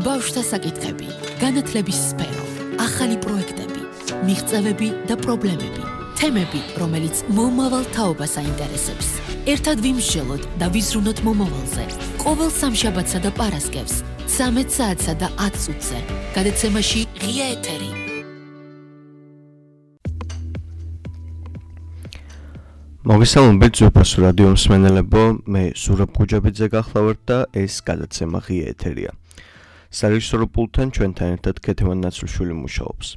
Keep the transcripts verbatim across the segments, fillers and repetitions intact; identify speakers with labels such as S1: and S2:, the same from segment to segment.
S1: ბავშვთა საკითხები, განათლების სფერო, ახალი პროექტები, მიღწევები და პრობლემები, თემები, რომელიც მომავალ თაობას აინტერესებს. ერთად ვიმსჯელოთ და ვიზრუნოთ მომავალზე. ყოველ სამშაბათსა და პარასკევს, ცამეტ საათსა და ათ წუთზე, გადაცემაში ღია ეთერი.
S2: მოგესალმებით ზურფასო რადიო მსმენელებო, მე ზურაბ გუჯაბიძე გახლავართ და ეს გადაცემა ღია ეთერია. სარეჟისორო პულტთან ჩვენთან ერთად ქეთევან ნაცვლშვილი მუშაობს.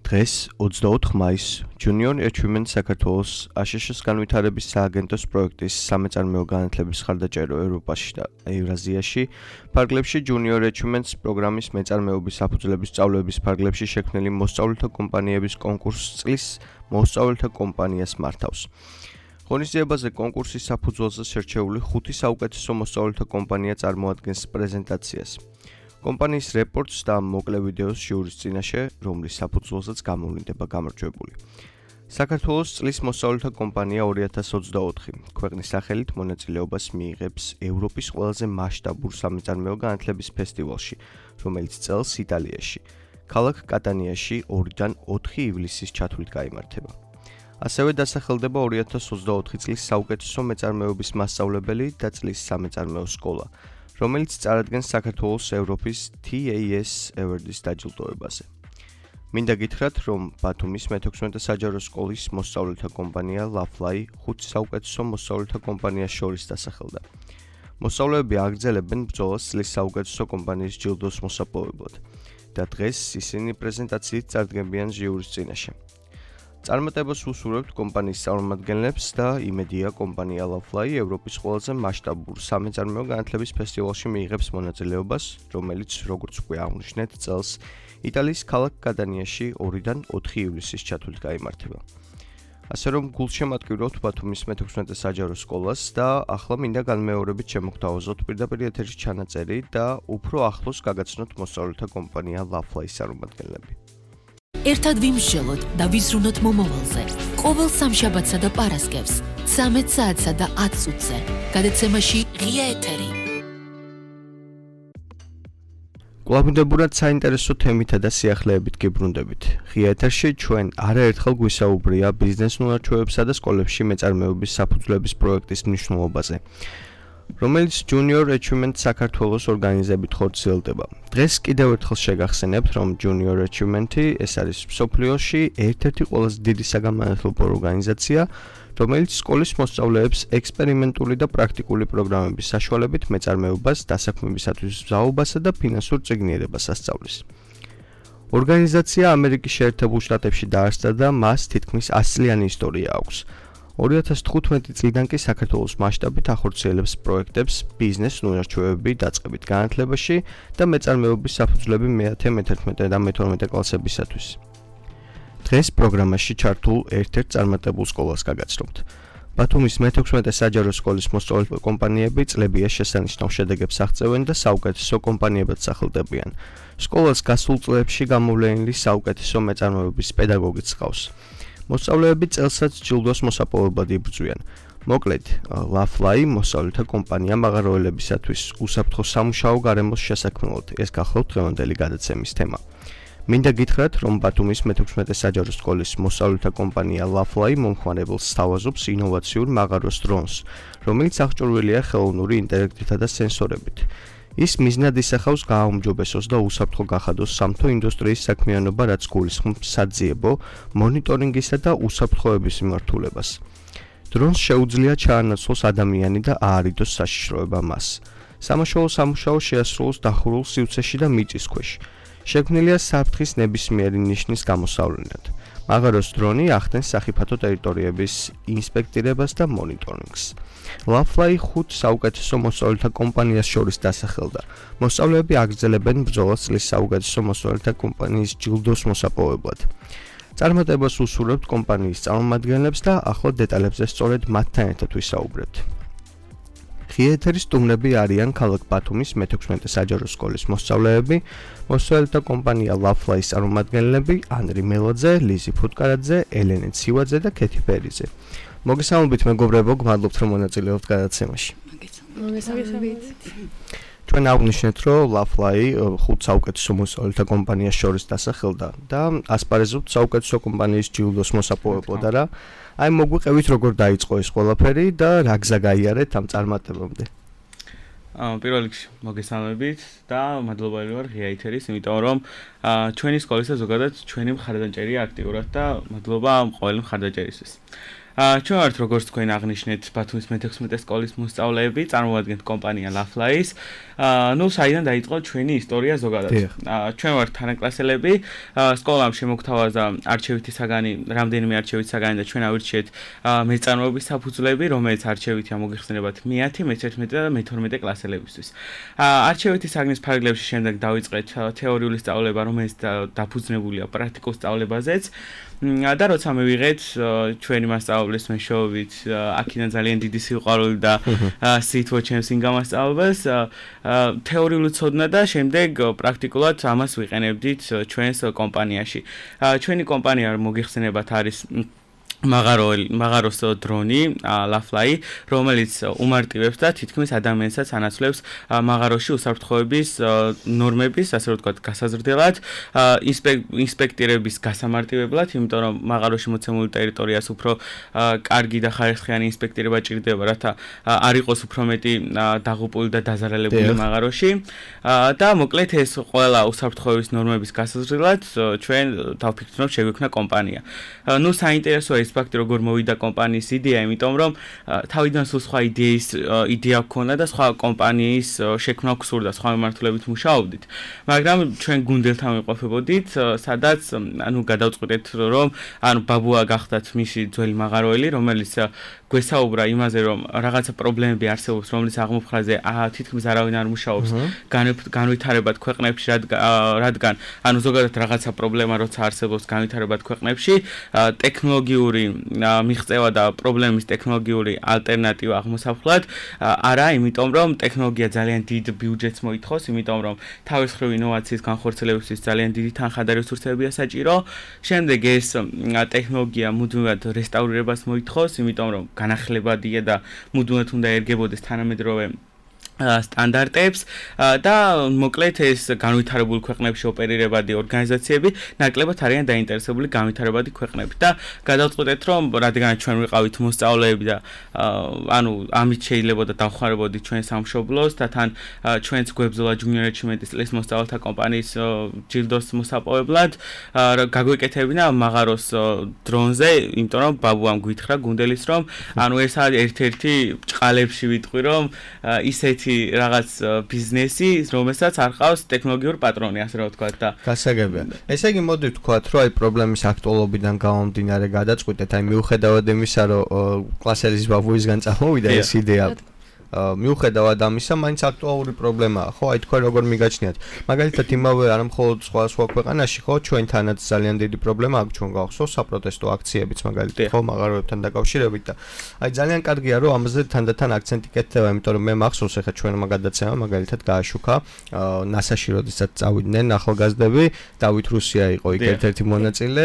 S2: დღეს ოცდაოთხ მაისს Junior Achievement საქართველოს აშშ-ის განვითარების სააგენტოს პროექტის სამეწარმეო განათლების ხარდაჭერო ევროპაში და ევრაზიაში ფარგლებში Junior Achievement პროგრამის მეწარმეობის საფუძვლების სწავლების ფარგლებში შექმნილი მოსწავლეთა კომპანიების კონკურსს წლის მოსწავლეთა კომპანიას მართავს. ღონისძიებაზე კონკურსის საფუძველზე შერჩეული ხუთი საუკეთესო მოსწავლეთა კომპანია წარმოადგენს პრეზენტაციას. კომპანიის რეპორტს და მოკლე ვიდეოს ჟიურის წინაშე, რომლის საფუძველზეც გამოვლინდება გამარჯვებული. საქართველოს წლის მოსწავლეთა კომპანია ორი ათას ოცდაოთხი ქვეყნის სახელით მონაწილეობას მიიღებს ევროპის ყველაზე მასშტაბურ სამეწარმეო განათლების ფესტივალში, რომელიც წელს იტალიაში, ქალაქ კატანიაში ორიდან ოთხი ივლისის ჩათვლით გაიმართება. ასევე დასახელდება ორი ათას ოცდაოთხი წლის საუკეთესო მეწარმეობის მასწავლებელი და წლის სამეწარმეო სკოლა, რომელიც წარადგენს საქართველოს ევროპის T A S Award-ის დაჯილდოებაზე. მინდა გითხრათ, რომ ბათუმის მეთექვსმეტე საჯარო სკოლის მოსწავლეთა კომპანია Lafly ხუთი საუკეთესო მოსწავლეთა კომპანიას შორის დასახელდა. მოსწავლეები აგრძელებენ ბრძოლას წლის საუკეთესო კომპანიის ჯილდოს მოსაპოვებლად და დღეს ისინი პრეზენტაციით წარდგებიან ჟიურის წინაშე. წარმატებას უსურვებთ კომპანიის წარმომადგენლებს და იმედია კომპანია Lafly ევროპის ყველაზე მასშტაბურ სამეწარმეო განათლების ფესტივალში მიიღებს მონაწილეობას, რომელიც როგორც უკვე აღნიშნეთ წელს იტალიის ქალაქ კატანიაში ორიდან ოთხი ივლისის ჩათვლით გაიმართება. ასე რომ გულშემატკივრობთ ბათუმის მეთექვსმეტე საჯარო სკოლას და ახლა მინდა განმეორებით შემოგთავაზოთ პირდაპირ ეთერის ჩანაწერი და უფრო ახლოს გაგაცნოთ მოსწავლეთა კომპანია Lafly-ის წარმომადგენლები.
S1: ერთად ვიმსჯელოთ და ვიზრუნოთ მომავალზე. ყოველ სამშაბათსა და პარასკევს, ცამეტ საათსა და ათ წუთზე, გადაცემაში ღია ეთერი.
S2: კვლავინდებურად საინტერესო თემითა და სიახლეებით გიბრუნდებით. ღია ეთერში ჩვენ არაერთხელ გვისაუბრია ბიზნეს უნარჩვევებსა და სკოლებში მეწარმეობის საფუძვლების პროექტის მნიშვნელობაზე, რომელიც Junior Achievement საქართველოს ორგანიზებით ხორციელდება. დღეს კიდევ ერთხელ შეგახსენებთ, რომ Junior Achievement-ი ეს არის მსოფლიოში ერთ-ერთი ყველაზე დიდი საგანმანათლებლო ორგანიზაცია, რომელიც სკოლის მოსწავლეებს ექსპერიმენტული და პრაქტიკული პროგრამების საშუალებით მეწარმეობას, დასაქმებისათვის მზაობასა და ფინანსურ წიგნიერებას ასწავლის. ორგანიზაცია ამერიკის შეერთებულ შტატებში დაარსდა და მას თითქმის ას წლიანი ისტორია აქვს. ორი ათას თხუთმეტი წლიდან კი საქართველოს მასშტაბით ახორციელებს პროექტებს ბიზნეს უნარჩვევები დაწყებით განათლებაში და მეწარმეობის საფუძვლები მეათე, მეთერთმეტე და მეთორმეტე კლასებისათვის. დღეს პროგრამაში ჩართულ ერთ-ერთ წარმატებულ სკოლას გაგაცნობთ. ბათუმის მეთექვსმეტე საჯარო სკოლის მოსწავლეთა კომპანიები წლებია შესანიშნავ შედეგებს აღწევენ და საუკეთესო კომპანიებად სახელდებიან. სკოლას გასულ წლებში გამოვლენილი საუკეთესო მეწარმეობის პედაგოგიც ჰყავს. მოსწავლეები წელსაც ჯილდოს მოსაპოვებლად იბრძვიან. მოკლედ, Lafly მოსწავლეთა კომპანია მაღაროელებისათვის უსაფრთხო სამუშაო გარემოს შესაქმნელად. ეს გახლავთ დღევანდელი გადაცემის თემა. მინდა გითხრათ, რომ ბათუმის მეთექვსმეტე საჯარო სკოლის მოსწავლეთა კომპანია Lafly მომხმარებელს სთავაზობს ინოვაციურ მაღაროს დრონს, რომელიც აღჭურვილია ხელოვნური ინტელექტითა და სენსორებით. ის მიზნად ისახავს გააუმჯობესოს და უსაფრთხო გახადოს სამთო ინდუსტრიის საქმიანობა, რაც გულისხმობს საძიებო, მონიტორინგისა და უსაფრთხოების მიმართულებას. დრონს შეუძლია ჩაანაცვლოს ადამიანი და აარიდოს საშიშროება მას. სამაშველო სამუშაო შეასრულოს დახურულ სივრცეში და მიწის ქვეშ. შექმნილია საფრთხის ნებისმიერი ნიშნის გამოსავლენად. მაღაროს დრონი ახდენს სახიფათო ტერიტორიების ინსპექტირებას და მონიტორინგს. Lafly ხუთ საუკეთესო მოსწავლეთა კომპანიას შორის დასახელდა. მოსწავლეები აგრძელებენ ბრძოლას წლის საუკეთესო მოსწავლეთა კომპანიის ჯილდოს მოსაპოვებლად. წარმატებას უსურვებთ კომპანიის წარმომადგენლებს და ახლა დეტალებზე სწორედ მათთან ერთად ვისაუბრებთ. ღია ეთერის სტუმრები არიან ქალაქ ბათუმის მეთექვსმეტე საჯარო სკოლის მოსწავლეები, მოსწავლეთა კომპანია Lafly-ის წარმომადგენლები ანრი მელაძე, ლიზი ფუტკარაძე, ელენე ცივაძე და ქეთი ფერიძე. მოგესალმებით მეგობრებო, გმადლობთ რომ მონაწილეობთ გადაცემაში.
S3: მოგესალმებით.
S2: ჩვენ აღვნიშნეთ, რომ Lafly ხუთ საუკეთესო მოსწავლეთა კომპანიას შორის დასახელდა და ასპარეზობთ საუკეთესო კომპანიის ჯილდოს მოსაპოვებლად რა. აი მოგვიყევით როგორ დაიწყო ეს ყველაფერი და რა გზა გაიარეთ ამ წარმატებამდე.
S3: აა პირველ რიგში მოგესალმებით და მადლობელი ვარ ღია ეთერის, იმიტომ რომ ჩვენი სკოლისა ზოგადად ჩვენი მხარდაჭერია აქტიურად და მადლობა ამ ყოველი მხარდაჭერისთვის. აა ჩვენ ვართ როგორც თქვენ აღნიშნეთ ბათუმის მეთექვსმეტე სკოლის მოსწავლეები, წარმოადგენთ კომპანია Lafly-ს. აა ნუ საიდან დაიწყო ჩვენი ისტორია ზოგადად. აა ჩვენ ვართ თანაკლასელები, სკოლამ შემოგთავაზა არჩევითი საგანი, რამდენიმე არჩევითი საგანი და ჩვენ ავირჩიეთ მეწარმოების საფუძვლები, რომელიც არჩევითი ამოგიხსენებათ მეათე, მეთერთმეტე და მეთორმეტე კლასელებისთვის. აა არჩევითი საგნის ფარგლებში შემდეგ დავიწყეთ თეორიული სწავლება, რომელიც დაფუძნებულია პრაქტიკულ სწავლებაზეც. და როცა მივიღეთ ჩვენი მასწავლებლის მეშვეობით, აქედან ძალიან დიდი სიყვარული და სითბო ჩემს ინგამასწავლებას, თეორიული ცოდნა და შემდეგ პრაქტიკულად ამას ვიყენებდით ჩვენს კომპანიაში. ჩვენი კომპანია მოგიხსენებათ არის მაღაროელი მაღაროს დრონი Lafly, რომელიც უმარტივებს და თითქმის ადამიანსაც ანაცვლებს მაღაროში უსაფრთხოების ნორმების, ასე რომ ვთქვათ, გასაზრდელად, ინსპექტირების გასამარტივებლად, იმიტომ რომ მაღაროში მოცემული ტერიტორიას უფრო კარგი და ხარისხიანი ინსპექტირება ჭირდება, რათა არ იყოს უფრო მეტი დაღუპული და დაზარალებული მაღაროში. და მოკლედ ეს ყველა უსაფრთხოების ნორმების გასაზრდელად ჩვენ დავფიქრეთ, რომ შეგვექმნა კომპანია. ნუ საინტერესოა ის ფაქტი, როგორ მოვიდა კომპანიის იდეა, იმიტომ რომ თავიდან სულ სხვა იდეის იდეა გქონდა და სხვა კომპანიის შექმნა გსურდა, სხვა მიმართულებით მუშაობდით. მაგრამ ჩვენ გუნდელთან ვიყოფებოდით, სადაც ანუ გადავწყვიტეთ, რომ ანუ ბაბუა გახდათ მისი ძველი მაღაროელი, რომელიც გვესაუბრა იმაზე, რომ რაღაცა პრობლემები არსებობს, რომლის აღმოფხაზე თითქმის არავინ არ მუშაობს განვითარებად ქვეყნებში, რადგან ანუ ზოგადად რაღაცა პრობლემა როცა არსებობს განვითარებად ქვეყნებში, ტექნოლოგიური მიღწევა და პრობლემის ტექნოლოგიური ალტერნატივა აღმოსავლად არა, იმიტომ რომ ტექნოლოგია ძალიან დიდ ბიუჯეტს მოითხოვს, იმიტომ რომ თავის მხრივ ინოვაციის განხორციელებისთვის ძალიან დიდი თანხა და რესურსებია საჭირო. შემდეგ ეს ტექნოლოგია მუდმივად რესტავრირებას მოითხოვს, იმიტომ რომ განახლებადია და მუდმივად უნდა ერგებოდეს თანამედროვე სტანდარტებს და მოკლედ ეს განვითარებულ ქვეყნებში ოპერირებადი ორგანიზაციები ნაკლებად არიან დაინტერესებული განვითარებადი ქვეყნებით და გადავწყვეტეთ, რომ რადგან ჩვენ ვიყავით მოსწავლეები და ანუ ამით შეიძლება და დავხმარებოდით ჩვენ სამშობლოს და თან ჩვენც გვებრძოლა ჯუნიორ ეჩიმენტის წლის მოსწავლეთა კომპანიის ჯილდოს მოსაპოვებლად, გაგვეკეთებინა მაღაროს დრონზე, იმიტომ რომ ბაბუამ გვითხრა გუნდელის, რომ ანუ ეს არის ერთ-ერთი ჭყალებში ვიტყვი, რომ ისეთი რაღაც ბიზნესი, რომელსაც არ ყავს ტექნოლოგიური პატრონი, ასე რომ ვთქვათ და
S2: გასაგებია. ესე იგი მოდი ვთქვათ, რომ აი პრობლემის აქტუალობიდან გამომდინარე გადაწყვიტეთ, აი მიუხედავად იმისა, რომ კლასელის ბაბუისგან წამოვიდა ეს იდეა, მიუხედავად ამისა, მაინც აქტუალური პრობლემაა, ხო? აი თქვენ როგორ მიგაჩნიათ? მაგალითად, იმავე არა მხოლოდ სხვა სხვა ქვეყანაში, ხო, ჩვენთანაც ძალიან დიდი პრობლემა აქვს, ჩვენ გავხსოვს საპროტესტო აქციებიც მაგალითად, ხო, მაღაროებთან დაკავშირებით და აი ძალიან კარგია, რომ ამაზე თანდათან აქცენტი კეთდება, იმიტომ რომ მე მახსოვს, ეხლა ჩვენმა გადაცემა მაგალითად გააშუქა ნასაში, როდესაც წავიდნენ ახალგაზრდები, დავით რუსია იყო იქ ერთ-ერთი მონაწილე,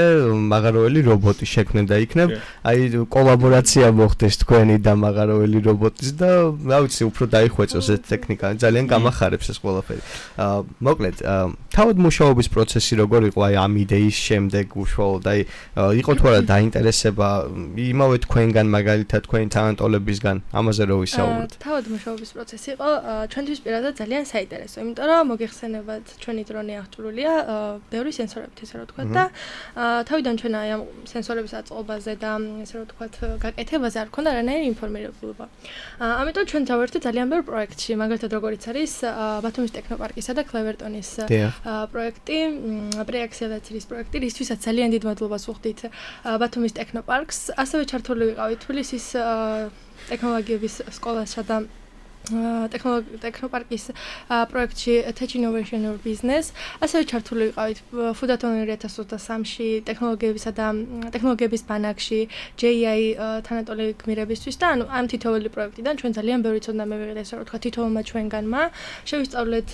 S2: მაღაროელი რობოტი შექმნენ და იქნებ, აი კოლაბორაცია მოხდეს თქვენი და მაღაროელი რობოტის და ვიცი, უფრო დაიხვეწოს ეს ტექნიკა, ძალიან გამახარებს ეს ყველაფერი. აა მოკლედ, თავად მუშაობის პროცესი როგორ იყო აი ამ იდეის შემდეგ უშუალოდ, აი იყო თუ არა დაინტერესება იმავე თქვენგან მაგალითად თქვენი თანატოლებისგან, ამაზე რო ვისაუბროთ.
S4: თავად მუშაობის პროცესი იყო ჩვენთვის პირადად ძალიან საინტერესო, იმიტომ რომ მოგეხსენებათ, ჩვენი დრონი აღჭურვილია ბევრი სენსორებით, ესე რომ ვთქვათ და თავიდან ჩვენ აი ამ სენსორების აწყობაზე და ესე რომ ვთქვათ გაკეთებაზე არ ქონდა რანაირი ინფორმირებულობა. ამიტომ ჩვენ დავერთვით ძალიან ბევრ პროექტში, მაგალითად როგორიც არის ბათუმის ტექნოპარკისა და კლევერტონის პროექტი, პრეაქსელაციის პროექტი, რისთვისაც ძალიან დიდ მადლობას ვუხდით ბათუმის ტექნოპარკს, ასევე ჩართული ვიყავით თბილისის ტექნოლოგიების სკოლასა და ტექნოპარკის პროექტში Tech Innovation or Business, ასევე ჩართული ვიყავით ფუდატონი ორი ათას ოცდასამში ტექნოლოგიებისა და ტექნოლოგიების ბანაკში ჯე ი აი თანატოლი გმირებისთვის და ანუ ამ თითოეული პროექტიდან ჩვენ ძალიან ბევრი ცოდნა მივიღეთ, ესე რომ ვთქვათ, თითოეულმა ჩვენგანმა შევისწავლეთ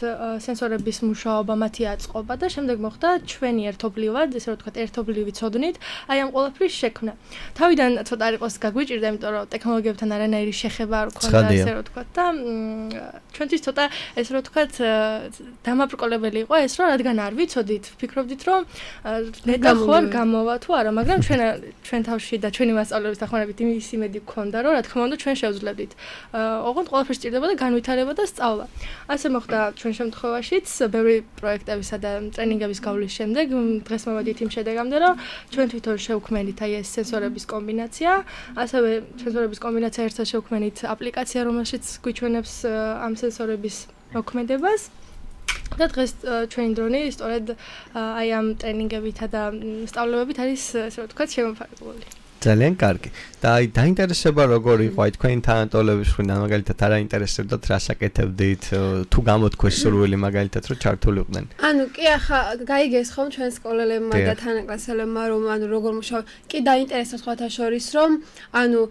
S4: სენსორების მუშაობა, მათი აწყობა და შემდეგ მოხდა ჩვენი ერთობლივად, ესე რომ ვთქვათ, ერთობლივი ცოდნით აი ამ ყველაფრის შექმნა. თავიდან ცოტა არ იყოს გაგვიჭირდა, იმიტომ რომ ტექნოლოგიებთან არანაირი შეხება არ ქონდა, ესე რომ ვთქვათ და ჩვენთვის ცოტა ეს რო თქვათ დამაბრკოლებელი იყო ეს რომ რადგან არ ვიცოდით, ფიქრობდით რომ ნეტა ხო გამოვა თუ არა, მაგრამ ჩვენ ჩვენ თავში და ჩვენი მასწავლებლების დახმარებით იმის იმედი გქონდა რომ რა თქმა უნდა ჩვენ შევძლებდით. ოღონდ ყველაფერს სჭირდებოდა განვითარება და სწავლა. ასე მოხდა ჩვენ შემთხვევაშიც, ბევრი პროექტებისა და ტრენინგების გავლის შემდეგ დღეს მოვედით იმ შედეგამდე რომ ჩვენ თვითონ შევქმნით აი ეს სენსორების კომბინაცია, ასევე სენსორების კომბინაცია ერთად შევქმნით აპლიკაცია, რომელშიც გვიჩვენებს ამ სენსორების მოქმედებას. და დღეს ჩვენი დრონი სწორედ აი ამ ტრენინგებითა და სწავლებებით არის ასე ვთქვათ შემოფარგლული.
S2: ძალიან კარგი. და აი დაინტერესება როგორ იყო აი თქვენი თანატოლების მხრიდან მაგალითად არა ინტერესებდათ რა საკეთებდით თუ გამოთქვეს სურვილი მაგალითად რომ ჩართულიყვნენ.
S5: ანუ კი ახლა გაიგეს ხომ ჩვენ სკოლელებმა და თანაკლასელებმა რომ ანუ როგორ მუშაობ კი დაინტერესებს სხვათა შორის რომ ანუ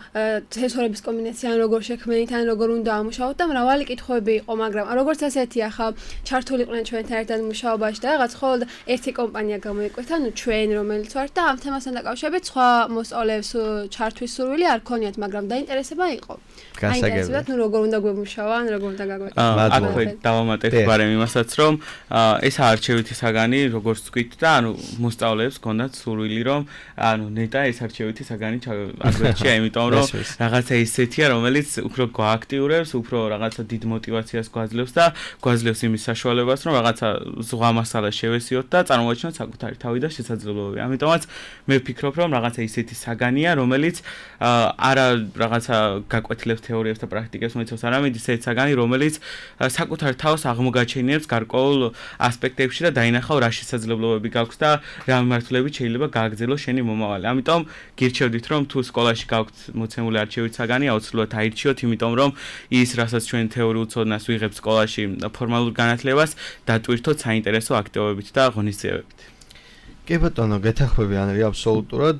S5: სენსორების კომბინაცია ან როგორ შექმნით ან როგორ უნდა ამუშაოთ და მრავალი კითხვები იყო მაგრამ როგორც ასეთი ახლა ჩართულიყვნენ ჩვენთან ერთად მუშაობაში და რაღაც ხოლმე ერთი კომპანია გამოიკვეთა ანუ ჩვენ რომელიც ვართ და ამ თემასთან დაკავშირებით სხვა მოსწავლეებს ჩართვის სურვილი არ ქონიათ, მაგრამ დაინტერესება იყო.
S2: გასაგებია.
S5: ნუ როგორ უნდა გვემუშავა, ან როგორ უნდა გაგვეკეთო.
S3: აქვე დავამატებ ბარემ იმასაც, რომ ეს არჩევითი საგანი, როგორც თქვით და ანუ მოსწავლეებს ქონდათ სურვილი, რომ ანუ ნეტა ეს არჩევითი საგანი აგვერჩია, იმიტომ რომ რაღაცა ისეთია, რომელიც უფრო გააქტიურებს, უფრო რაღაცა დიდ мотиваციას გვაძლევს და გვაძლევს იმის საშუალებას, რომ რაღაცა ზღვა მასალა შევესიოთ და წარმოაჩინოთ საკუთარი თავი და შესაძლებლობები. ამიტომაც მე ვფიქრობ, რომ რაღაცა ისეთი საგანია, რომელიც არა რაღაცა გაკვეთილებს თეორიებს და პრაქტიკებს მოიცავს, არამედ ისეთი საგანი, რომელიც საკუთარ თავს აღმოგაჩენიებს გარკვეულ ასპექტებში და დაინახავ რა შესაძლებლობები გაქვს და რა მიმართულებით შეიძლება გააგრძელოს შენი მომავალი. ამიტომ გირჩევდით, რომ თუ სკოლაში გაქვთ მოცემული არჩევით საგანი, აუცილებლად აირჩიოთ, იმიტომ რომ ის, რასაც ჩვენ თეორიულ ცოდნას ვიღებთ სკოლაში ფორმალურ განათლებას, დატვირთოთ საინტერესო აქტივობებით და ღონისძიებებით.
S2: კი ბატონო, გეთანხმები ანრი აბსოლუტურად.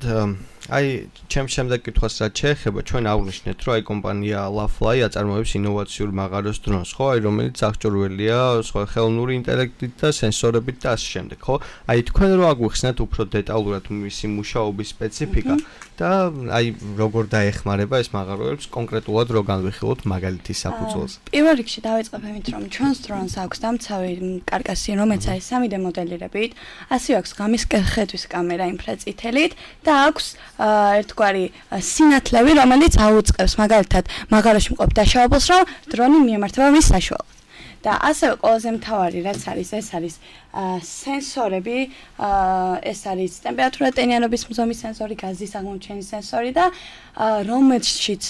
S2: აი, ჩემს შემდეგ კითხვას რაც შეეხება, ჩვენ აღვნიშნეთ, რომ აი კომპანია LaFly აწარმოებს ინოვაციურ მაღაროს დრონს, ხო, აი რომელიც აღჭურვილია სხვა ხელოვნური ინტელექტით და სენსორებით და ასე შემდეგ, ხო? აი თქვენ რო აგვიხსნათ უფრო დეტალურად მისი მუშაობის სპეციფიკა და აი როგორ დაეხმარება ეს მაღაროებს კონკრეტულად რო განვიხილოთ მაგალითის საფუძველზე.
S6: პირველ რიგში დავიწყებ იმით, რომ ჩვენს დრონს აქვს დამცავი კარკასი, რომელიც არის სამი დე მოდელირებით, ასევე აქვს ღამის ხედვის კამერა ინფრაწითელით და აქვს ერთგვარი სინათლევი, რომელიც აუწყებს მაგალითად მაღაროში მყოფ დაშავებულს, რომ დრონი მიემართება მის საშუალოდ. და ასევე ყველაზე მთავარი რაც არის, ეს არის სენსორები, ეს არის ტემპერატურა ტენიანობის მზომის სენსორი, გაზის აღმოჩენის სენსორი და რომელშიც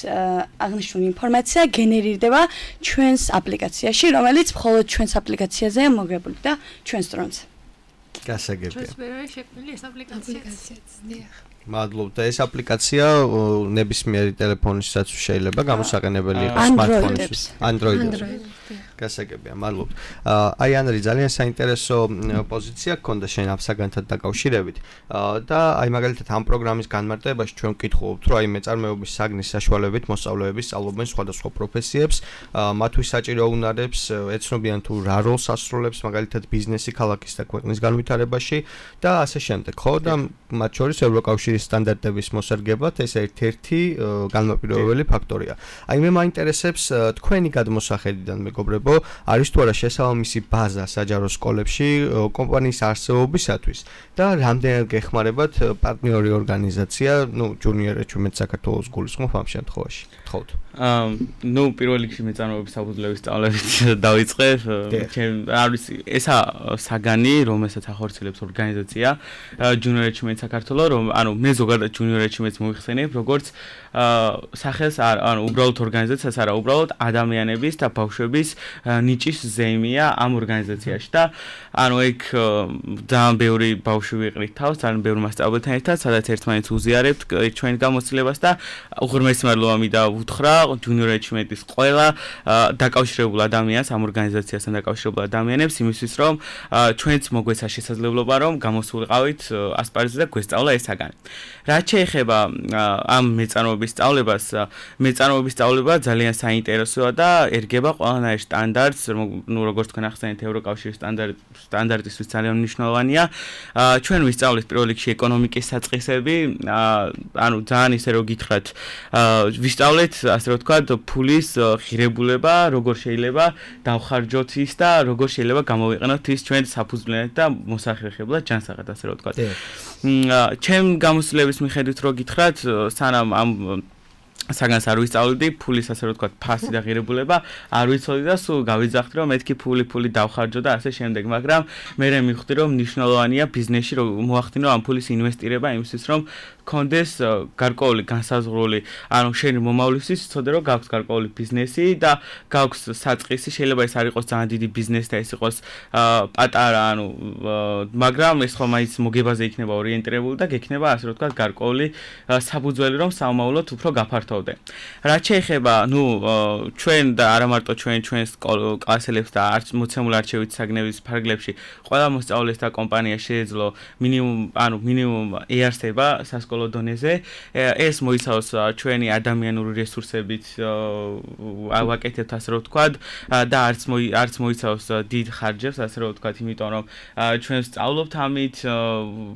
S6: აღნიშნული ინფორმაცია გენერირდება ჩვენს აპლიკაციაში, რომელიც მხოლოდ ჩვენს აპლიკაციაზეა მოგებული და ჩვენს დრონზე.
S2: გასაგებია.
S4: ჩვენს ვერ არის შექმნილი ეს აპლიკაციაც. დიახ.
S2: მადლობ და ეს აპლიკაცია ნებისმიერი ტელეფონისაც შეიძლება გამოსაყენებელი იყოს smartphone-ში, Android-ში. გასაგებია, მადლობ. აი ანრი ძალიან საინტერესო პოზიცია გქონდა შენ ამ საგანთან დაკავშირებით და აი მაგალითად ამ პროგრამის განმარტებაში ჩვენ ვკითხულობთ, რომ აი მეწარმეობის საგნის საშუალებით მოსწავლეები სწავლობენ სხვადასხვა პროფესიებს, მათთვის საჭირო უნარებს, ეცნობიან თუ რა როლს ასრულებს მაგალითად ბიზნესი ქალაქის და ქვეყნის განვითარებაში და ასე შემდეგ, ხო? და მათ შორის ევროკავშირის სტანდარტების მოსარგებლად ეს ერთ-ერთი განმაპირობებელი ფაქტორია. აი მე მაინტერესებს თქვენი გადმოსახედიდან მეგობრებო, არის თუ არა შესაბამისი ბაზა საჯარო სკოლებში კომპანიის არსებობისათვის და რამდენად გეხმარებათ პარტნიორი ორგანიზაცია, ну, ჯუნიორებში მეც საქართველოს გულისხმობ ამ შემთხვევაში. გთხოვთ.
S3: აა, ну, პირველ რიგში მეწარმოების საფუძვლების სწავლებით დავიწყებ. ჩემ არის ესა საგანი, რომელსაც ახორციელებს ორგანიზაცია ჯუნიორებში მეც საქართველოს, რომ ანუ მე ზოგადად ჯუნიორებში მეც მოიხსენიებ, როგორც აა სახელს ანუ უბრალოდ ორგანიზაციას არა, უბრალოდ ადამიანების და ბავშვების ნიჭის ზეიმია ამ ორგანიზაციაში და ანუ ეგ ძალიან ბევრი ბავშვი ვიყრით თავს, ძალიან ბევრი მასწავლებელთან ერთად, სადაც ერთმანეთს უზიარებთ ჩვენი გამოცდილებას და უღრმესი მადლობა მინდა უთხრა ჯუნიორ ეჩმენტის ყველა დაკავშირებულ ადამიანს, ამ ორგანიზაციასთან დაკავშირებულ ადამიანებს იმისთვის, რომ ჩვენც მოგვეცა შესაძლებლობა, რომ გამოსულიყავით ასპარეზზე და გვესწავლა ეს საგანი. რაც შეეხება ამ მეწარმოების სწავლებას, მეწარმოების სწავლება ძალიან საინტერესოა და ერგება ყველანაირ სტანდარტს, ну, როგორც თქვენ ახსენეთ, ევროკავშირის სტანდარტ სტანდარტისთვის ძალიან მნიშვნელოვანია. ჩვენ ვისწავლეთ პირველ რიგში ეკონომიკის საწყისები, ანუ ძალიან ისე რომ გითხრათ, ვისწავლეთ ასე რომ ვთქვათ, ფულის ღირებულება როგორ შეიძლება დავხარჯოთ ის და როგორ შეიძლება გამოვიყენოთ ის ჩვენ საფუძვლიანად და მოსახერხებლად ჯანსაღად, ასე რომ ვთქვათ. ჩემ გამოცდილების მიხედვით რო გითხრათ, სანამ ამ საგანს არ ვისწავლიდი, ფულის ასე რომ ვთქვათ, ფასი და ღირებულება არ ვიცოდი და სულ გავიძახდი, რომ მეთქი ფული ფული დავხარჯო და ასე შემდეგ, მაგრამ მე მივხვდი, რომ მნიშვნელოვანია ბიზნესში რომ მოახდინო ამ ფულის ინვესტირება იმისთვის, რომ კონდეს გარკვეული განსაზღვრული, ანუ შენი მომავლისთვის ცოდე რომ გაქვს გარკვეული ბიზნესი და გაქვს საწყისი, შეიძლება ეს არ იყოს ძალიან დიდი ბიზნესი და ეს იყოს პატარა, ანუ მაგრამ ეს ხომ მაინც მოგებაზე იქნება ორიენტირებული და გექნება ასე რომ ვთქვათ, გარკვეული საფუძველი, რომ საომავლოდ უფრო გაფართოვდე. რაც შეეხება, ნუ ჩვენ და არა მარტო ჩვენ ჩვენს კლასელებს და არც მოცემულ არჩევით საგნების ფარგლებში, ყველა მოსწავლეს და კომპანია შეეძლო მინიმუმ, ანუ მინიმუმ ეარსება სასკოლო დონეზე. ეს მოიცავს ჩვენი ადამიანური რესურსებით ავაკეთებთ, ასე რომ ვთქვათ, და არც არც მოიცავს დიდ ხარჯებს, ასე რომ ვთქვათ, იმიტომ რომ ჩვენ ვსწავლობთ ამით,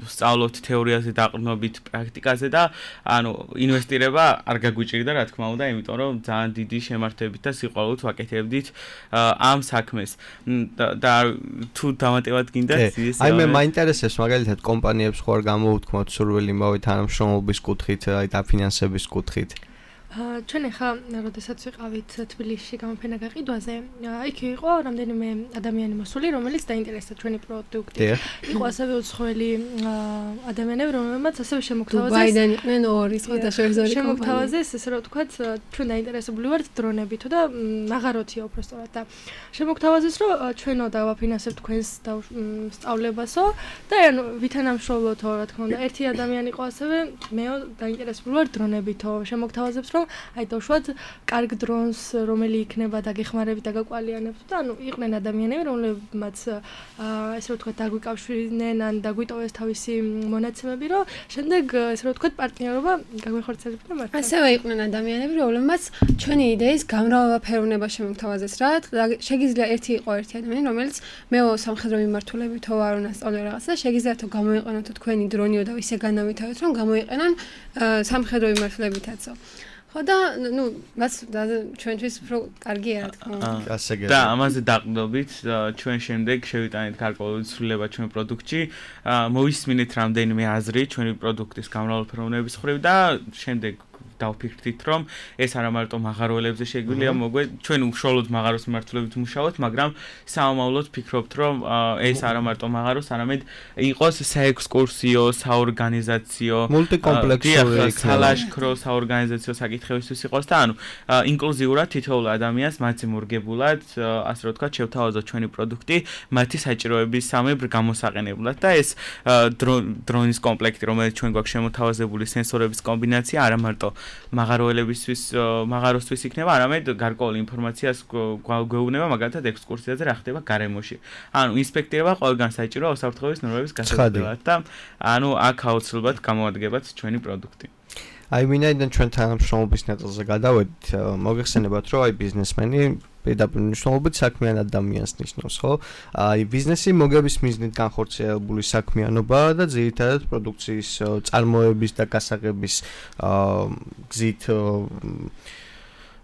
S3: ვსწავლობთ თეორიაზე დაყრდნობით, პრაქტიკაზე და ანუ ინვესტირება არ გაგვიჭირდა, რა თქმა უნდა, იმიტომ რომ ძალიან დიდი შემართებით და სიყვარულით ვაკეთებდით ამ საქმეს. და თუ დამატებად გინდათ ის
S2: აი მე მაინტერესებს მაგალითად კომპანიებს ხო არ გამოუთქმოთ სურვილი იმავე თანამშრომლობის კუთხით, აი დაფინანსების კუთხით.
S4: ჩვენ ახლა როდესაც ვიყავით თბილისში გამოფენა გაყიდვაზე, იქ იყო რამდენიმე ადამიანი მოსული, რომელიც დაინტერესდა ჩვენი პროდუქტით. იყო ასევე უცხოელი ადამიანები, რომლებმაც ასევე შემოგთავაზეს.
S5: დუბაიდან იყვნენ ორი სხვადასხვაგვარი
S4: შემოგთავაზეს, ესე რომ ვთქვათ, ჩვენ დაინტერესებული ვართ დრონებით და მაღაროთია უბრალოდ და შემოგთავაზეს, რომ ჩვენო დავაფინანსებთ თქვენს სწავლებასო და ანუ ვითანამშრომლოთო, რა თქმა უნდა, ერთი ადამიანი იყო ასევე, მეო დაინტერესებული ვარ დრონებითო, შემოგთავაზებს რომ აი დავშვათ კარგ დრონს რომელი იქნება დაგეხმარებით და გაკვალიანებთ და ანუ იყვნენ ადამიანები რომლებმაც ესე რომ ვთქვათ დაგვიკავშირდნენ ან დაგვიტოვეს თავისი მონაცემები რომ შემდეგ ესე რომ ვთქვათ პარტნიორობა გაგვეხორციელებინა მართლა
S5: ასევე იყვნენ ადამიანები რომლებმაც ჩვენი იდეის გამრავალფეროვნება შემოგთავაზეს რა შეგიძლია ერთი იყო ერთი ადამიანი რომელიც მეო სამხედრო მიმართულებითო არ უნასწავლე რაღაცა და შეგიძლიათ გამოიყენოთ თქვენი დრონიო და ისე განავითაროთ რომ გამოიყენონ სამხედრო მიმართულებითაცო ხო და ნუ მას ჩვენთვის უფრო კარგია რა თქმა უნდა.
S3: და ამაზე დაყრდნობით ჩვენ შემდეგ შევიტანეთ გარკვეული ცვლილება ჩვენ პროდუქტში, მოვისმინეთ რამდენიმე აზრი ჩვენი პროდუქტის გამრავალფეროვნების მხრივ და შემდეგ დავფიქრდით რომ ეს არა მარტო მაღაროელებზე შეგვიძლია მოგვე ჩვენ უშუალოდ მაღაროს მიმართულებით ვმუშაობთ, მაგრამ საომავლოდ ფიქრობთ რომ ეს არა მარტო მაღაროს, არამედ იყოს საექსკურსიო, საორგანიზაციო,
S2: მულტიკომპლექსური
S3: სალაშქრო საორგანიზაციო საკითხებისთვის იყოს და ანუ ინკლუზიურად თითოეულ ადამიანს მათი მორგებულად, ასე რომ ვთქვათ, შევთავაზოთ ჩვენი პროდუქტი მათი საჭიროების სამებრ გამოსაყენებლად და ეს დრონის კომპლექტი, რომელიც ჩვენ გვაქვს შემოთავაზებული სენსორების კომბინაცია არა მარტო მაღაროელებისთვის მაღაროსთვის იქნება, არამედ გარკვეული ინფორმაციას გვეუბნება მაგალითად ექსკურსიაზე რა ხდება გარემოში. ანუ ინსპექტირება ყველგან საჭიროა უსაფრთხოების ნორმების გასაზრდელად და ანუ აქ აუცილებლად გამოადგებათ ჩვენი პროდუქტი.
S2: აი ვინაიდან ჩვენ თანამშრომლობის ნაწილზე გადავედით, მოგეხსენებათ რომ აი ბიზნესმენი პირდაპირ მნიშვნელობით საქმიან ადამიანს ნიშნავს, ხო? აი ბიზნესი მოგების მიზნით განხორციელებული საქმიანობა და ძირითადად პროდუქციის წარმოების და გასაღების გზით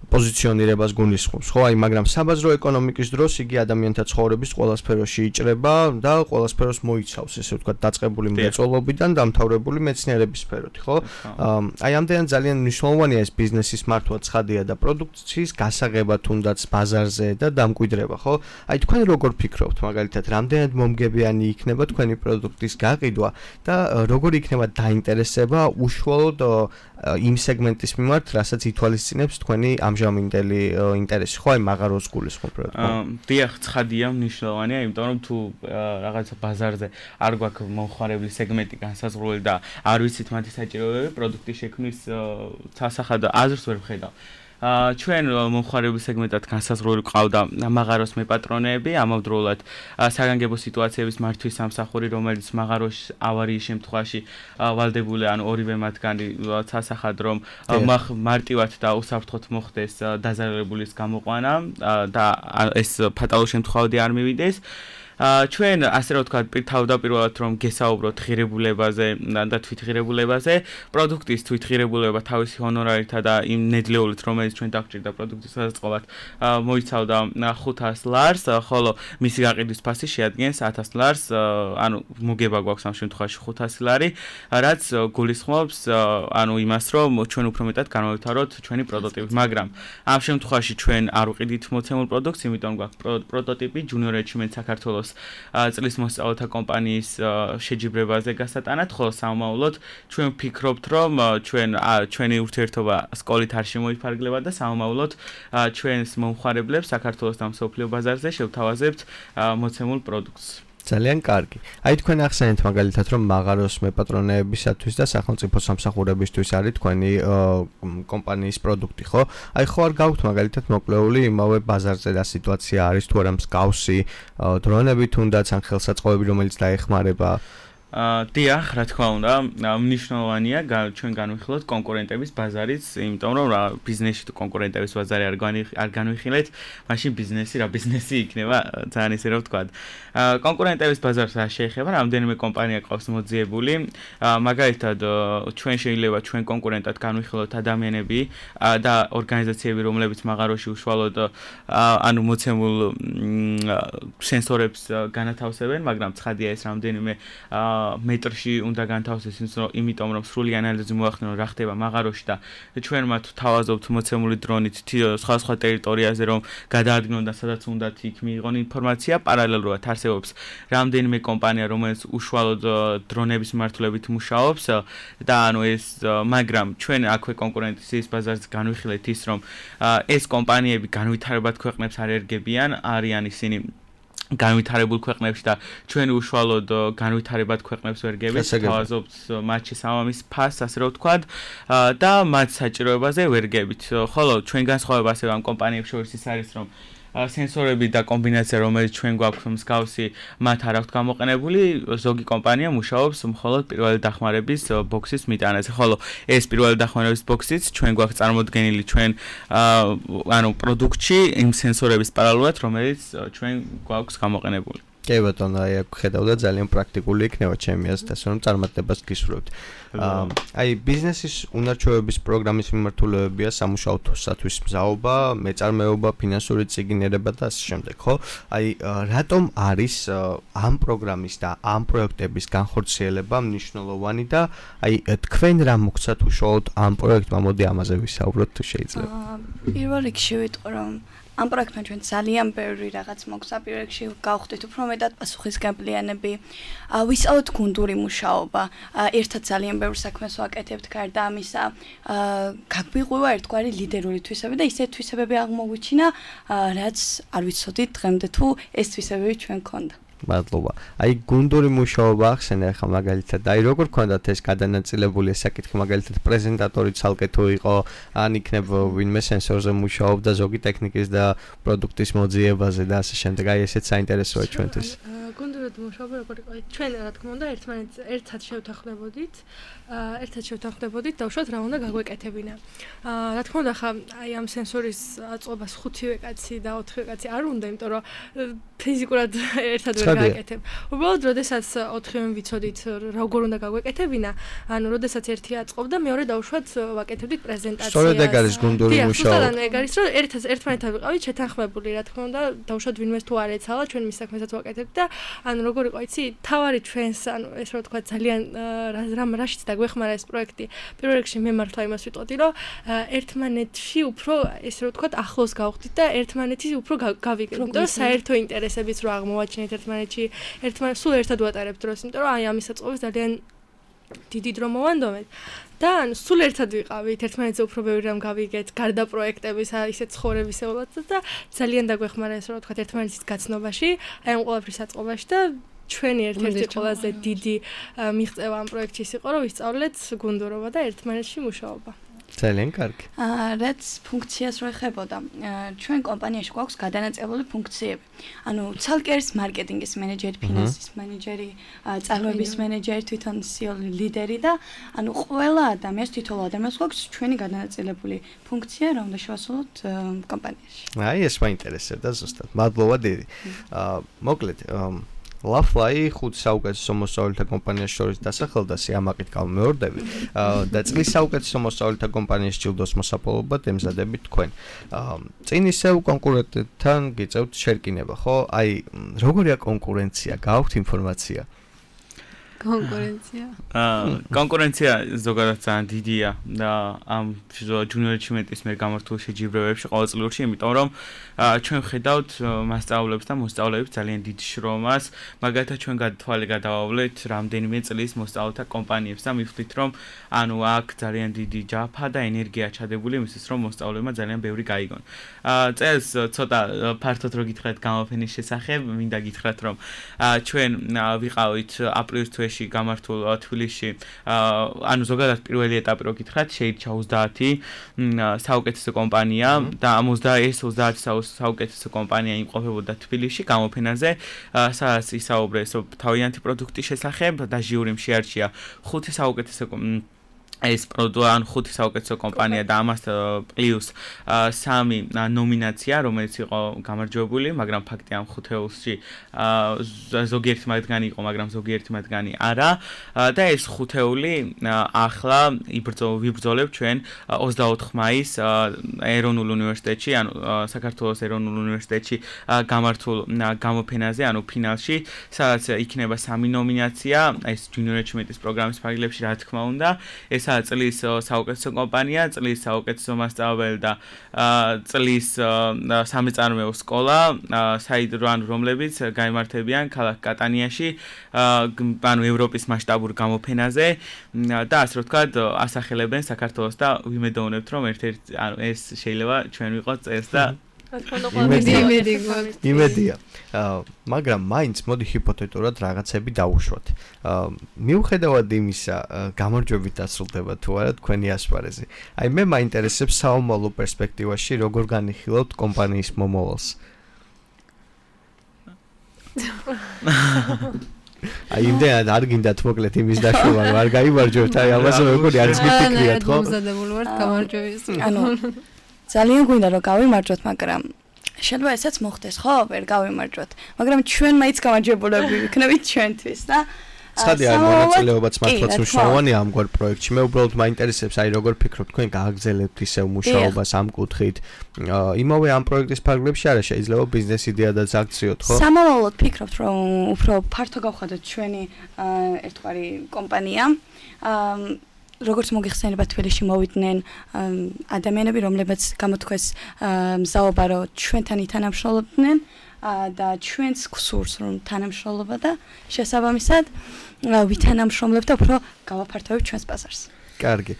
S2: პოზიციონირებას გულისხმობს, ხო? აი, მაგრამ საბაზრო ეკონომიკის დროს იგი ადამიანთა ცხოვრების ყველა სფეროში იჭრება და ყველა სფეროს მოიცავს, ესე ვთქვათ, დაწყებული მრეწველობიდან დამთავრებული მეცნიერების სფეროთი, ხო? აი, ამდენად ძალიან მნიშვნელოვანია ეს ბიზნესის მართვა ცხადია და პროდუქციის გასაღება თუნდაც ბაზარზე და დამკვიდრება, ხო? აი, თქვენ როგორ ფიქრობთ, მაგალითად, რამდენად მომგებიანი იქნება თქვენი პროდუქტის გაყიდვა და როგორ იქნება დაინტერესება უშუალოდ იმ სეგმენტის მიმართ, რასაც ითვალისწინებს თქვენი ამჟამინდელი ინტერესი, ხო, აი მაღაროს გულისხმობ რა თქმა უნდა.
S3: დიახ, ცხადია, მნიშვნელოვანია, იმიტომ რომ თუ რაღაცა ბაზარზე არ გვაქვს მომხმარებლის სეგმენტი განსაზღვრული და არ ვიცით მათი საჭიროებები, პროდუქტის შექმნის სასახად აზრს ვერ ვხედავ. ჩვენ მომხმარებლის სეგმენტად განსაზღვრული ყავდა მაღაროს მეპატრონეები, ამავდროულად საგანგებო სიტუაციების მართვის სამსახური, რომელიც მაღაროს ავარიის შემთხვევაში ვალდებული, ანუ ორივე მათგანი სასახად რომ მარტივად და უსაფრთხოდ მოხდეს დაზარალებულის გამოყვანა და ეს ფატალურ შემთხვევაში არ მივიდეს. ჩვენ ასე რომ ვთქვათ, თავდაპირველად რომ გესაუბროთ ღირებულებაზე და თვითღირებულებაზე, პროდუქტის თვითღირებულება თავისი ჰონორარითა და იმ ნედლეულით, რომელიც ჩვენ დაგჭირდა პროდუქტის გადაწყობად, მოიცავდა ხუთას ლარს, ხოლო მისი გაყიდვის ფასი შეადგენს ათას ლარს, ანუ მოგება გვაქვს ამ შემთხვევაში ხუთასი ლარი, რაც გულისხმობს ანუ იმას, რომ ჩვენ უფრო მეტად განვავითაროთ ჩვენი პროტოტიპი, მაგრამ ამ შემთხვევაში ჩვენ არ ვყიდით მოცემულ პროდუქტს, იმიტომ გვაქვს პროტოტიპი Junior Achievement საქართველოს წლის მოსწავლეთა კომპანიის შეჯიბრებაზე გასატანად, ხოლო სამომავლოდ ჩვენ ვფიქრობთ, რომ ჩვენ ჩვენი ურთიერთობა სკოლით არ შემოიფარგლება და სამომავლოდ ჩვენს მომხმარებლებს საქართველოს და მსოფლიო ბაზარზე შევთავაზებთ მოცემულ პროდუქტს.
S2: ძალიან კარგი. აი თქვენ ახსენეთ მაგალითად რომ მაღაროს მეპატრონეებისათვის და სახელმწიფო სამსახურებისთვის არის თქვენი კომპანიის პროდუქტი, ხო? აი ხო არ გაქვთ მაგალითად მოკლეული იმავე ბაზარზე და სიტუაცია არის თუ არა მსგავსი დრონები თუნდაც ან ხელსაწყოები რომელიც დაეხმარება
S3: აა დიახ, რა თქმა უნდა, მნიშვნელოვანია ჩვენ განვიხილოთ კონკურენტების ბაზარიც, იმიტომ რომ რა ბიზნესში თუ კონკურენტების ბაზარი არ არ განვიხილეთ, მაშინ ბიზნესი რა ბიზნესი იქნება, ძალიან ისე რომ ვთქვათ. აა კონკურენტების ბაზარს არ შეეხება, რამდენიმე კომპანია ყავს მოძიებული, მაგალითად ჩვენ შეიძლება ჩვენ კონკურენტად განვიხილოთ ადამიანები და ორგანიზაციები, რომლებიც მაღაროში უშუალოდ ანუ მოცემულ სენსორებს განათავსებენ, მაგრამ ცხადია ეს რამდენიმე მეტრში უნდა განთავსდეს, იმიტომ რომ სრული ანალიზი მოახდინონ რა ხდება მაღაროში და ჩვენ მათ თავაზობთ მოცემული დრონით სხვა სხვა ტერიტორიაზე რომ გადაადგინონ და სადაც უნდათ იქ მიიღონ ინფორმაცია. პარალელურად არსებობს რამდენიმე კომპანია, რომელიც უშუალოდ დრონების მიმართულებით მუშაობს და ანუ ეს მაგრამ ჩვენ აქვე კონკურენციის ბაზარზე განვიხილეთ ის რომ ეს კომპანიები განვითარებად ქვეყნებს არ ერგებიან, არიან ისინი განვითარებულ ქვეყნებში და ჩვენ უშუალოდ განვითარებად ქვეყნებს ვერგებით, თავაზობთ მათში სამამის ფასს, ასე რომ ვთქვათ, და მათ საჭიროებაზე ვერგებით. ხოლო ჩვენ განსხვავება ასევე ამ კომპანიებს შორის ის არის, რომ სენსორები და კომბინაცია, რომელიც ჩვენ გვაქვს მსგავსი, მათ არ აქვთ გამოყენებული, ზოგი კომპანია მუშაობს მხოლოდ პირველი დახმარების ბოქსის მიტანაზე. ხოლო ეს პირველი დახმარების ბოქსიც ჩვენ გვაქვს წარმოდგენილი ჩვენ ანუ პროდუქტში იმ სენსორების პარალელურად, რომელიც ჩვენ გვაქვს გამოყენებული.
S2: კი ბატონო, აი აქ ხედავდა ძალიან პრაქტიკული იქნება ჩემი აზრით, ასე რომ წარმატებას გისურვებთ. აი ბიზნესის უნარჩვევების პროგრამის მიმართულებებია სამუშაო თოსათვის მზაობა, მეწარმეობა, ფინანსური წიგნერება და ასე შემდეგ, ხო? აი რატომ არის ამ პროგრამის და ამ პროექტების განხორციელება მნიშვნელოვანი და აი თქვენ რა მოგცათ უშუალოდ ამ პროექტმა, მოდი ამაზე ვისაუბროთ თუ შეიძლება.
S6: პირველ რიგში ვიტყვი რომ ამ პროექტმა ჩვენ ძალიან ბევრი რაღაც მოგცა, პირველ რიგში გავხდით უფრო მეტად პასუხისგებლიანები, ვისწავლოთ გუნდური მუშაობა, ერთად ძალიან ბევრ საქმეს ვაკეთებთ, გარდა ამისა, გაგვიღვივა ერთგვარი ლიდერული თვისებები და ისეთი თვისებები აღმოგვიჩინა, რაც არ ვიცოდით დღემდე თუ ეს თვისებები ჩვენ გქონდა.
S2: მადლობა. აი გუნდური მუშაობა ახსენე ახლა მაგალითად, აი როგორ გქონდათ ეს გადანაწილებული საკითხი, მაგალითად პრეზენტატორი ცალკე თუ იყო, ან იქნებ ვინმე სენსორზე მუშაობდა ზოგი ტექნიკის და პროდუქტის მოძიებაზე და ასე შემდეგ. აი ესეც საინტერესოა ჩვენთვის.
S4: გუნდურად მუშაობა როგორ იყო? ჩვენ რა თქმა უნდა ერთმანეთს ერთად შევთანხმდებოდით, ერთად შევთანხმდებოდით და უშუალოდ რა უნდა გაგვეკეთებინა. რა თქმა უნდა ხა აი ამ სენსორის აწყობას ხუთივე კაცი და ოთხივე კაცი არ უნდა, იმიტომ რომ ფიზიკურად ერთად ვერ გააკეთებ. უბრალოდ როდესაც ოთხივე ვიცოდით როგორ უნდა გაგვეკეთებინა, ანუ როდესაც ერთი აწყობდა, მეორე დაუშვათ ვაკეთებდით პრეზენტაციას.
S2: სწორედ ეგ არის გუნდური მუშაობა.
S4: დიახ, ეგ არის რომ ერთად ერთმანეთთან ვიყავით შეთანხმებული, რა თქმა უნდა, დაუშვათ ვინმეს თუ არ ეცალა, ჩვენ მის საქმესაც ვაკეთებთ და ანუ როგორ იყო იცი, თავარი ჩვენს, ანუ ეს რა თქვა ძალიან რამ რაშიც დაგვეხმარა ეს პროექტი. პირველ რიგში მე მართლა იმას ვიტყოდი, რომ ერთმანეთში უფრო ეს რა თქვა ახლოს გავხდით და ერთმანეთის უფრო გავიგეთ. იმიტომ რომ საერთო ინტერესებიც რო აღმოვაჩინეთ ერთმანეთში, ერთმანეთს სულ ერთად ვატარებთ დროს, იმიტომ რომ აი ამის საწყობებს ძალიან დიდი დრო მოვანდომეთ. და ანუ სულ ერთად ვიყავით, ერთმანეთზე უფრო ბევრი რამ გავიგეთ, გარდა პროექტების, ისეთ ცხოვრებისეულად და ძალიან დაგვეხმარა ეს რა თქვა ერთმანეთის გაცნობაში, აი ამ ყველაფრის საწყობაში და ჩვენი ერთ-ერთი ყველაზე დიდი მიღწევა ამ პროექტში იყო, რომ ვისწავლეთ გუნდურობა და ერთმანეთში მუშაობა.
S2: ძალიან კარგი.
S6: აა რაც ფუნქციას რო ეხებოდა, ჩვენ კომპანიაში გვაქვს გადანაწილებული ფუნქციები. ანუ ცალკე არის მარკეტინგის მენეჯერი, ფინანსის მენეჯერი, წარმოების მენეჯერი, თვითონ სიოლი ლიდერი და ანუ ყველა ადამიანს თითოეულ ადამიანს გვაქვს ჩვენი გადანაწილებული ფუნქცია, რომ უნდა შევასრულოთ კომპანიაში.
S2: აი ეს მაინტერესებდა ზუსტად. მადლობა დიდი. აა მოკლედ Lafly ხუთი საუკეთესო მოსწავლეთა კომპანიას შორის დასახელდა სიამაყით გამეორდები და წლის საუკეთესო მოსწავლეთა კომპანიის ჯილდოს მოსაპოვებლად ემზადებით თქვენ. წინ ისევ კონკურენტებთან გიწევთ შერკინება, ხო? აი, როგორია კონკურენცია? გააქვთ ინფორმაცია?
S5: კონკურენცია.
S3: აა კონკურენცია ზოგადად ძალიან დიდია და ამ ჯუნიორ ეჩივმენტის მიერ გამართულ შეჯიბრებებში ყოველწლიურში, იმიტომ რომ ჩვენ ვხედავთ მასწავლებლებს და მოსწავლეებს ძალიან დიდ შრომას, მაგალითად ჩვენ გადათვალე გადავავლეთ რამდენიმე წლის მოსწავლეთა კომპანიებს და მივხვდით რომ ანუ აქ ძალიან დიდი ჯაფა და ენერგია ჩადებული იმისთვის რომ მოსწავლეებმა ძალიან ბევრი გაიგონ. აა წელს ცოტა ფართოდ რო გითხრათ გამოფენის შესახებ, მინდა გითხრათ რომ ჩვენ ვიყავით აპრილის თვეში გამართულ თბილისში ანუ ზოგადად პირველი ეტაპი რო გითხრათ შეირჩა ოცდაათი საუკეთესო კომპანია და ამ ოცდაათი საუკეთესო კომპანია იმყოფებოდა თბილისში გამოფენაზე სადაც ისაუბრეს თავიანთი პროდუქტის შესახებ და ჟიურიმ შეარჩია ხუთი საუკეთესო ეს პროდუქტი ან ხუთი საუკეთესო კომპანია და ამას პლუს სამი ნომინაცია რომელიც იყო გამარჯვებული, მაგრამ ფაქტი ამ ხუთეულში ზოგიერთი მათგანი იყო, მაგრამ ზოგიერთი მათგანი არა და ეს ხუთეული ახლა ვიბრძოლებ ჩვენ ოცდაოთხ მაისს ეროვნულ უნივერსიტეტში, ანუ საქართველოს ეროვნულ უნივერსიტეტში გამართულ გამოფენაზე, ანუ ფინალში, სადაც იქნება სამი ნომინაცია, ეს ჯუნიორ ეჩივმენტის პროგრამის ფარგლებში, რა თქმა უნდა, ეს წლის საუკეთესო კომპანია, წლის საუკეთესო მასწავლებელი და წლის სამეწარმეო სკოლა, საიდრო ან რომლებიც გაიმართებიან ქალაქ კატანიაში, ანუ ევროპის მასშტაბურ გამოფენაზე და ასე რომ ვთქვათ, ასახელებენ საქართველოს და ვიმედოვნებთ, რომ ერთ-ერთი ანუ ეს შეიძლება ჩვენ ვიყოთ წელს და
S2: იმედია. მაგრამ მაინც მოდი ჰიპოთეტურად რაღაცები დავუშვათ. მიუხედავად იმისა, გამარჯვებით დასრულდება თუ არა თქვენი ასპარეზი. აი მე მაინტერესებს საომალო პერსპექტივაში როგორ განიხილავთ კომპანიის მომავალს. აი იმდენად არ გინდათ მოკლედ იმის დაშოვა, არ გაიმარჯვებთ, აი ამაზე როგორი არის გიფიქრიათ, ხო?
S5: მომზადებული ვართ გამარჯვების.
S6: ანუ ძალიან გვინდა რომ გავიმარჯვოთ, მაგრამ შეიძლება ესაც მოხდეს, ხო? ვერ გავიმარჯვოთ, მაგრამ ჩვენ მაინც გამარჯვებულები ვიქნებით ჩვენთვის და
S2: ცხადია, მონაწილეობაც მართლაც მნიშვნელოვანია ამგვარ პროექტში. მე უბრალოდ მაინტერესებს, აი როგორ ფიქრობთ თქვენ გააგრძელებთ ისევ მუშაობას ამ კუთხით. იმავე ამ პროექტის ფარგლებში არა შეიძლება ბიზნეს იდეადაც აქციოთ, ხო?
S6: სამომავლოდ ფიქრობთ, რომ უფრო ფართო გავხადოთ ჩვენი ერთგვარი კომპანია. როგორც მოგიხსენება თბილისში მოვიდნენ ადამიანები, რომლებიც გამოთქვეს მზაობა, რომ ჩვენთან ითანამშრომლობდნენ და ჩვენს გსურს რომ თანამშრომლობა და შესაბამისად ვითანამშრომლებთ და უფრო გავაფართოვებთ ჩვენს ბაზარს.
S2: კარგი.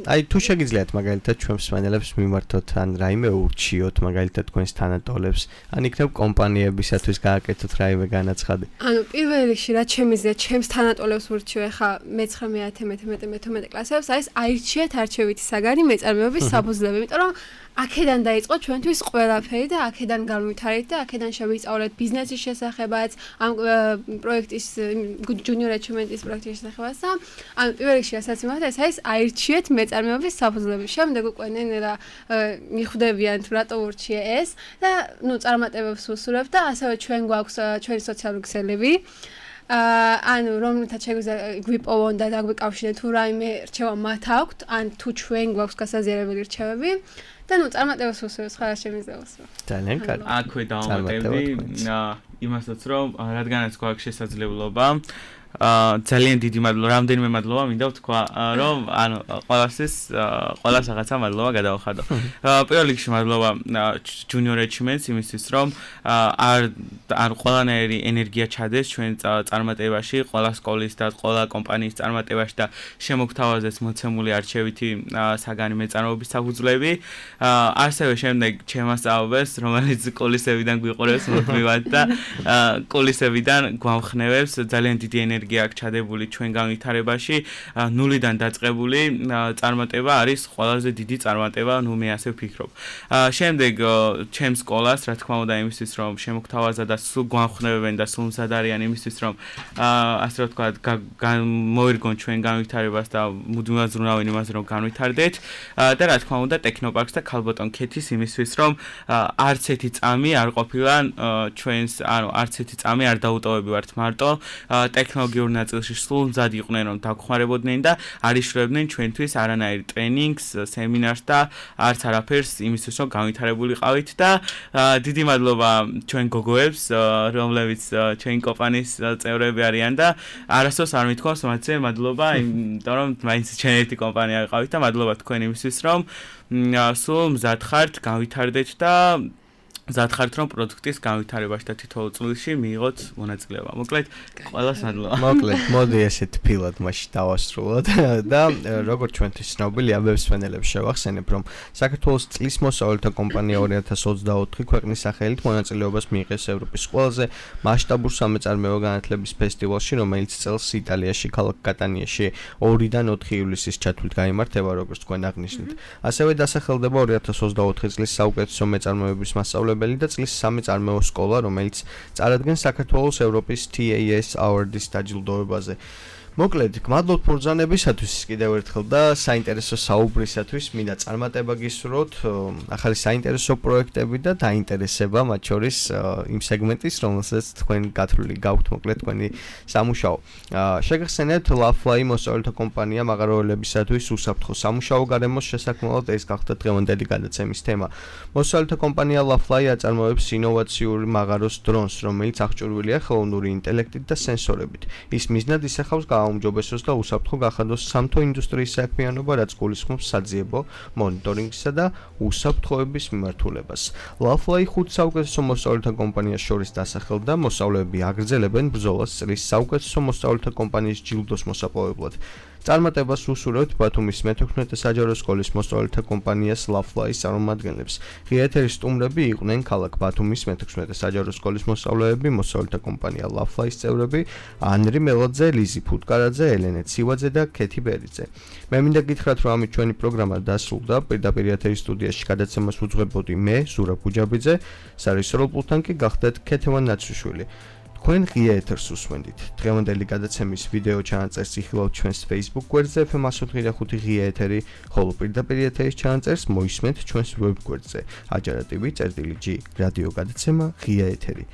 S2: აი თუ შეგიძლიათ მაგალითად ჩვენ მსმენელებს მიმართოთ ან რაიმე ურჩიოთ მაგალითად თქვენს თანატოლებს, ან იქნებ კომპანიებისათვის გააკეთოთ რაიმე განაცხადი.
S5: ანუ პირველ რიგში რაც შემიძლია ჩემს თანატოლებს ურჩიო, ახლა მეცხრამეტე, მეთერთმეტე, მეთორმეტე კლასებს, არის აირჩიეთ არჩევითი საგანი მეწარმეობის საფუძვლები, იმიტომ რომ აქედან დაიწყო ჩვენთვის ყველაფერი და აქედან განვითარეთ და აქედან შევისწავლეთ ბიზნესის შესახებაც, ამ პროექტის ჯუნიორ ეჩივმენტის პროექტის შესახებაც და ანუ პირველ რიგში რასაც იმართა ეს არის აირჩიეთ მეწარმეობის საფუძვლები. შემდეგ უკვე ნელა მიხვდებიან თუ რატო ურჩიე ეს და ნუ წარმატებებს ვუსურვებ და ასევე ჩვენ გვაქვს ჩვენი სოციალური ქსელები. აა ანუ რომელთაც შეგვიძლია გვიპოვონ და დაგვიკავშირეთ თუ რაიმე რჩევა მათ აქვთ, ან თუ ჩვენ გვაქვს გასაზიარებელი რჩევები და ნუ წარმატებას ვუსურვებ სხვა შემიძლია ვუსურვო.
S2: ძალიან კარგი.
S3: აქვე დავამატებდი იმასაც რომ რადგანაც გვაქვს შესაძლებლობა აა ძალიან დიდი მადლობა, რამდენიმე მადლობა მინდა ვთქვა, რომ ანუ ყველასის ყველას რაღაცა მადლობა გადავხადო. პირველ რიგში მადლობა ჯუნიორ ეჩივმენტს იმისთვის, რომ არ არ ყველანაირი ენერგია ჩადეს ჩვენ წარმატებაში, ყველა სკოლის და ყველა კომპანიის წარმატებაში და შემოგთავაზეს მოცემული არჩევითი საგანი მეწარმეობის საფუძვლები. ასევე შემდეგ ჩემასწავლებს, რომელიც კულისებიდან გვიყურებს მოთმევად და კულისებიდან გვამხნევებს ძალიან დიდი ენერგია ენერგია აქვს ჩადებული ჩვენ განვითარებაში, ნულიდან დაწყებული წარმატება არის ყველაზე დიდი წარმატება, ნუ მე ასე ვფიქრობ. შემდეგ ჩემს სკოლას, რა თქმა უნდა, იმისთვის რომ შემოგთავაზა და სულ გვანხნევებენ და სულ მზად არიან იმისთვის რომ ასე რა თქვა მოერგონ ჩვენ განვითარებას და მუდმივად ზრუნავენ იმაზე რომ განვითარდეთ და რა თქმა უნდა ტექნოპარკს და ქალბატონ ქეთის იმისთვის რომ არც ერთი წამი არ ყოფილა ჩვენს ანუ არც ერთი წამი არ დაუტოვებივართ მარტო ტექნოლოგიურ ნაწილში სულ მზად იყვნენ რომ დაგხმარებოდნენ და არ იშლებდნენ ჩვენთვის არანაირ ტრენინგს, სემინარს და არც არაფერს იმისთვის რომ განვითარებულიყავით და დიდი მადლობა ჩვენ გოგოებს რომლებიც ჩვენი კომპანიის წევრები არიან და არასდროს არ მithქვავს მათზე მადლობა იმიტომ რომ მაინც ჩვენ ერთი კომპანია ვიყავით და მადლობა თქვენ იმისთვის რომ სულ მზად ხართ განვითარდეთ და მზად ხართ რომ პროდუქტის განვითარებაში და თითოეულ წვლილში მიიღოთ მონაწილეობა. მოკლედ ყველას მადლობა.
S2: მოკლედ მოდი ესე თბილად მაშინ დავასრულოთ და როგორც ჩვენთვის ცნობილი ამბებს ფენელებს შევახსენებ რომ საქართველოს წლის მოსავლეთა კომპანია ორი ათას ოცდაოთხი ქვეყნის სახელით მონაწილეობას მიიღეს ევროპის ყველაზე მასშტაბურ სამეწარმეო განათლების ფესტივალში, რომელიც წელს იტალიაში ქალაქ კატანიაში ორიდან ოთხი ივლისის ჩათვლით გაიმართება, როგორც თქვენ აღნიშნეთ. ასევე დასახელდება ორი ათას ოცდაოთხი წლის საუკეთესო მეწარმეობის მასწავლებელი და წლის სამეწარმეო სკოლა, რომელიც წარადგენს საქართველოს ევროპის T A S Award-ის დაჯილდოებაზე. მოკლედ, გმადლობთ ბრძანებისათვის კიდევ ერთხელ და საინტერესო საუბრისათვის. მინდა წარმატება გისურვოთ, ახალი საინტერესო პროექტები და დაინტერესება მათ შორის იმ სეგმენტის, რომელსაც თქვენ გათვლილი გაქვთ, მოკლედ თქვენი სამუშაო. შეგახსენებთ Lafly მოსწავლეთა კომპანია მაღაროელებისათვის უსაფრთხო სამუშაო გარემოს შესაქმნელად ეს გახდა დღევანდელი გადაცემის თემა. მოსწავლეთა კომპანია Lafly აწარმოებს ინოვაციური მაღაროს დრონს, რომელიც აღჭურვილია ხელოვნური ინტელექტით და სენსორებით. ის მიზნად ისახავს გააუმჯობესოს და უსაფრთხო გახადოს სამთო ინდუსტრიის საქმიანობა, რაც გულისხმობს საძიებო მონიტორინგსა და უსაფრთხოების მიმართულებას. Lafly ხუთ საუკეთესო მოსწავლეთა კომპანიას შორის დასახელდა, მოსწავლეები აგრძელებენ ბრძოლას წლის საუკეთესო მოსწავლეთა კომპანიის ჯილდოს მოსაპოვებლად. წარმატებას უსურვებთ ბათუმის მეთექვსმეტე საჯარო სკოლის მოსწავლეთა კომპანიას Lafly-ის წარმომადგენლებს. ღია ეთერის სტუმრები იყვნენ ქალაქ ბათუმის მეთექვსმეტე საჯარო სკოლის მოსწავლეები, მოსწავლეთა კომპანია Lafly-ის წევრები ანრი მელოძე, ლიზი ფუტკარაძე, ელენე ცივაძე და ქეთი ბერიძე. მე მინდა გითხრათ, რომ ამით ჩვენი პროგრამა დასრულდა. პირდაპირ ეთერის სტუდიაში გადაცემას უძღვებოდი მე, ზურაბ გუჯაბიძე, სარეჟისორო პულტთან კი გახდათ ქეთევან ნაცრიშვილი. თქვენ ღია ეთერს უსმენდით. დღევანდელი გადაცემის ვიდეო ჩანაწერს იხილავთ ჩვენს Facebook გვერდზე F M one oh five ღია ეთერი, ხოლო პირდაპირ ეთერის ჩანაწერს მოისმენთ ჩვენს web გვერდზე ajarativi წერტილი G რადიო გადაცემა ღია ეთერი.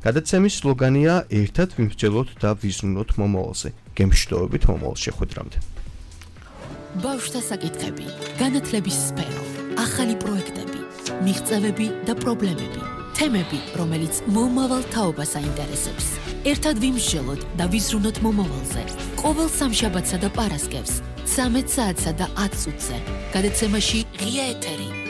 S2: გადაცემის სლოგანია ერთად ვიმსჯელოთ და ვიზრუნოთ მომავალზე. გემშვიდობებით მომავალ შეხვედრამდე.
S1: ბავშვთა საკითხები, განათლების სფერო, ახალი პროექტები, მიღწევები და პრობლემები. თემები, რომელიც მომავალ თაობას აინტერესებს. ერთად ვიმსჯელოთ და ვიზრუნოთ მომავალზე. ყოველ სამშაბათსა და პარასკევს, ცამეტ საათსა და ათ წუთზე. გადაცემაში ღია ეთერი.